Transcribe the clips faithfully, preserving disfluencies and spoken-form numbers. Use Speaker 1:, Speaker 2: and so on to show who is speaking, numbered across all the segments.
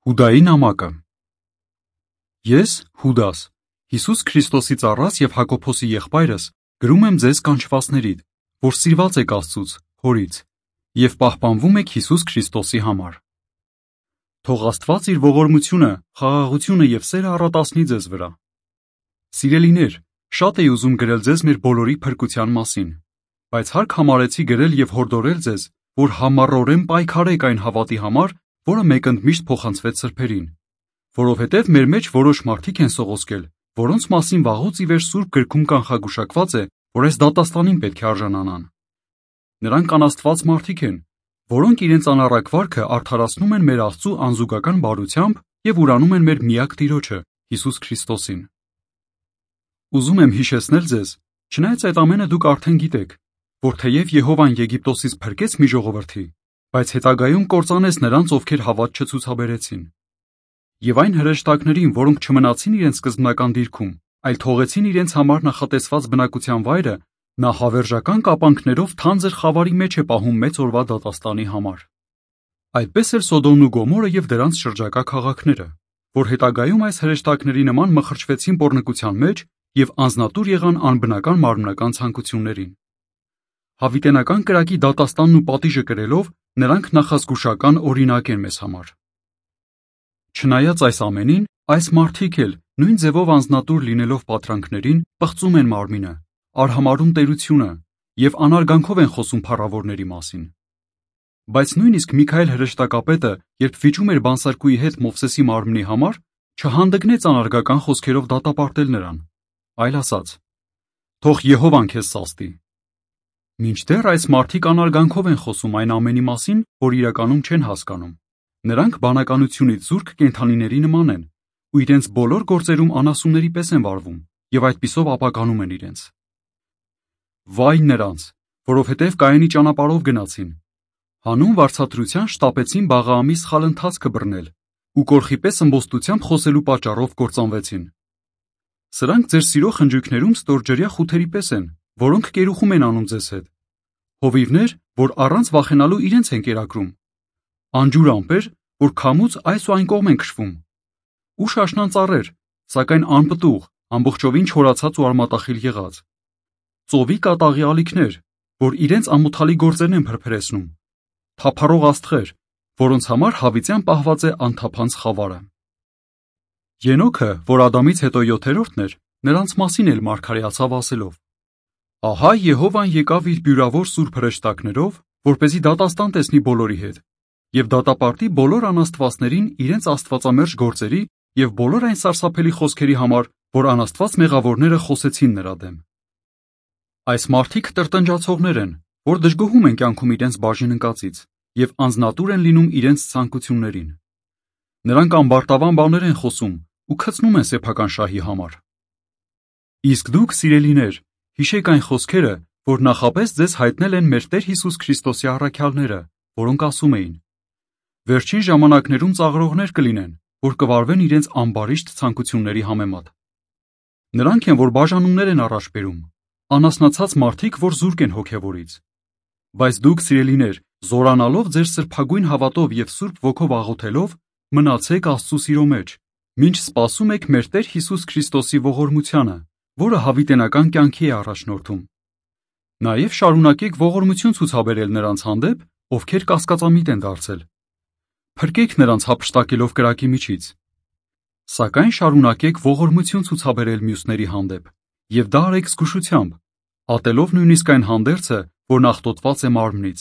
Speaker 1: Հուդայի նամակը Ես, Հուդաս, Հիսուս Քրիստոսի ծառաս և Հակոբոսի եղբայրս, գրում եմ ձեզ կանչվածներիդ, որ սիրված եք Աստծուց, Հորից, և պահպանվում եք Հիսուս Քրիստոսի համար։ Թող Աստված իր ողորմությունը, խաղաղությունը և սերը առատացնի ձեզ վրա։ Սիրելիներ, շատ էի ուզում գրել ձեզ մեր բոլորի փրկության մասին, բայց հարկ համարեցի գրել և հորդորել ձեզ, որ համառորեն պայքարեք այն հավատի համար, որը մեկընդմիշտ փոխանցվեց սրբերին, որովհետև մեր մեջ որոշ մարդիկ են սողոսկել, որոնց մասին վաղուց ի վեր Սուրբ գրքում կանխագուշակված է, որ այս դատաստանին պետք է արժանանան։ Նրանք անաստված մարդիկ են, որոնք իրենց անառակ վարքը արդարացնում են մեր Աստծու անզուգական բարությամբ և ուրանում են մեր միակ Տիրոջը, Հիսուս Քրիստոսին։ Ուզում եմ հիշեցնել ձեզ, չնայած այդ ամենը դուք արդեն գիտեք, որ թեև Եհովան Եգիպտոսից փրկեց մի ժողովրդի, բայց հետագայում կործանեց նրանց, ովքեր հավատ չցուցաբերեցին։ Եվ այն հրեշտակներին, որոնք չմնացին իրենց սկզբնական դիրքում, այլ թողեցին իրենց համար նախատեսված բնակության վայրը, նա հավերժական կապանքներով թանձր խավարի մեջ է պահում մեծ օրվա դատաստանի համար։ Այդպես էլ Սոդոմն ու Գոմորը և դրանց շրջակա քաղաքները, որ հետագայում այս հրեշտակների նման մխրճվեցին պոռնկության մեջ և անձնատուր եղան անբնական մարմնական ցանկություններին։ Հավիտենական կրակի դատաստանն ու պատիժը կրելով նրանք նախազգուշական օրինակ են մեզ համար։ Չնայած այս ամենին, այս մարդիկ էլ, նույն ձևով անձնատուր լինելով պատրանքներին, պղծում են մարմինը, արհամարհում տերությունը և անարգանքով են խոսում փառավորների մասին։ Բայց նույնիսկ Միքայել հրեշտակապետը, երբ վիճում էր բանսարկուի հետ Մովսեսի մարմնի համար, չհանդգնեց անարգական խոսքերով դատապարտել նրան, այլ ասաց. «Թող Եհովան քեզ սաստի»։ Մինչդեռ այս մարդիկ անարգանքով են խոսում այն ամենի մասին, որ իրականում չեն հասկանում։ Նրանք բանականությունից զուրկ կենդանիների նման են ու իրենց բոլոր գործերում անասունների պես են վարվում և այդպիսով ապականում են իրենց։ Վայ նրանց, որովհետև Կայենի ճանապարհով գնացին, հանուն վարձատրության շտապեցին Բաղաամի սխալ ընթացքը բռնել ու կորխի պես ըմբոստությամբ խոսելու պատճառով կործանվեցին։ Սրանք ձեր սիրո խնջույքներում ստորջրյա խութերի պես են, որոնք կերուխում են անում ձեզ հետ։ Հովիվներ, որ առանց վախենալու իրենց են կերակրում։ Անջուր ամպեր, որ քամուց այս ու այն կողմ են քշվում։ Ու շաշնան ծառեր, սակայն անպտուղ, ամբողջովին չորացած ու արմատախիլ եղած։ Ծովի կատաղի ալիքներ, որ իրենց ամոթալի գործերն են փրփրեցնում։ Թափառող աստղեր, որոնց համար հավիտյան պահված է անթափանց խավարը։ Ենոքը, որ Ադամից հետո յոթերորդն էր, նրանց մասին էլ մարգարեացավ ասելով. «Ահա Եհովան եկավ իր բյուրավոր սուրբ հրեշտակներով, որպեսզի դատաստան տեսնի բոլորի հետ և դատապարտի բոլոր անաստվածներին իրենց աստվածամերժ գործերի և բոլոր այն սարսափելի խոսքերի համար, որ անաստված մեղավորները խոսեցին նրա դեմ»։ Այս մարդիկ տրտնջացողներ են, որ դժգոհում են կյանքում իրենց բաժին ընկածից և անձնատուր են լինում իրենց ցանկություններին։ Նրանք ամբարտավան բաներ են խոսում ու քցնում են սեփական շահի համար։ Իսկ դուք, սիրելիներ, հիշեք այն խոսքերը, որ նախապես ձեզ հայտնել են մեր Տեր Հիսուս Քրիստոսի առաքյալները, որոնք ասում էին. «Վերջին ժամանակներում ծաղրողներ կլինեն, որ կվարվեն իրենց ամբարիշտ ցանկությունների համեմատ»։ Նրանք են, որ բաժանումներ են առաջ բերում, անասնացած մարդիկ, որ զուրկ են հոգևորից։ Բայց դուք, սիրելիներ, զորանալով ձեր սրբագույն հավատով և Սուրբ Ոգով աղոթելով, մնացեք Աստծու սիրո մեջ, մինչ սպասում եք մեր Տեր Հիսուս Քրիստոսի ողորմությանը, որը հավիտենական կյանքի է առաջնորդում։ Նաև շարունակեք ողորմություն ցուցաբերել նրանց հանդեպ, ովքեր կասկածամիտ են դարձել։ Փրկեք նրանց հափշտակելով կրակի միջից։ Սակայն շարունակեք ողորմություն ցուցաբերել մյուսների հանդեպ, և դա արեք զգուշությամբ, ատելով նույնիսկ այն հանդերձը, որն աղտոտված է մարմնից։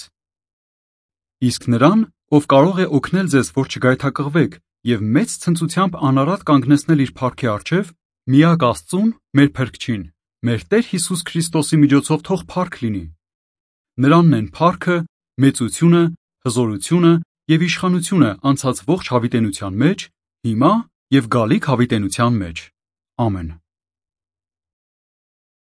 Speaker 1: Իսկ նրան, ով կարող է օգնել ձեզ, որ չգայթակղվեք և մեծ ցնծությամբ անարատ կանգնեցնել իր փառքի առջև, միակ Աստծուն, մեր Փրկչին, մեր Տեր Հիսուս Քրիստոսի միջոցով թող փառք լինի։ Նրանն են փառքը, մեծությունը, հզորությունը և իշխանությունը անցած ողջ հավիտենության մեջ, հիմա և գալիք հավիտենության մեջ։ Ամեն։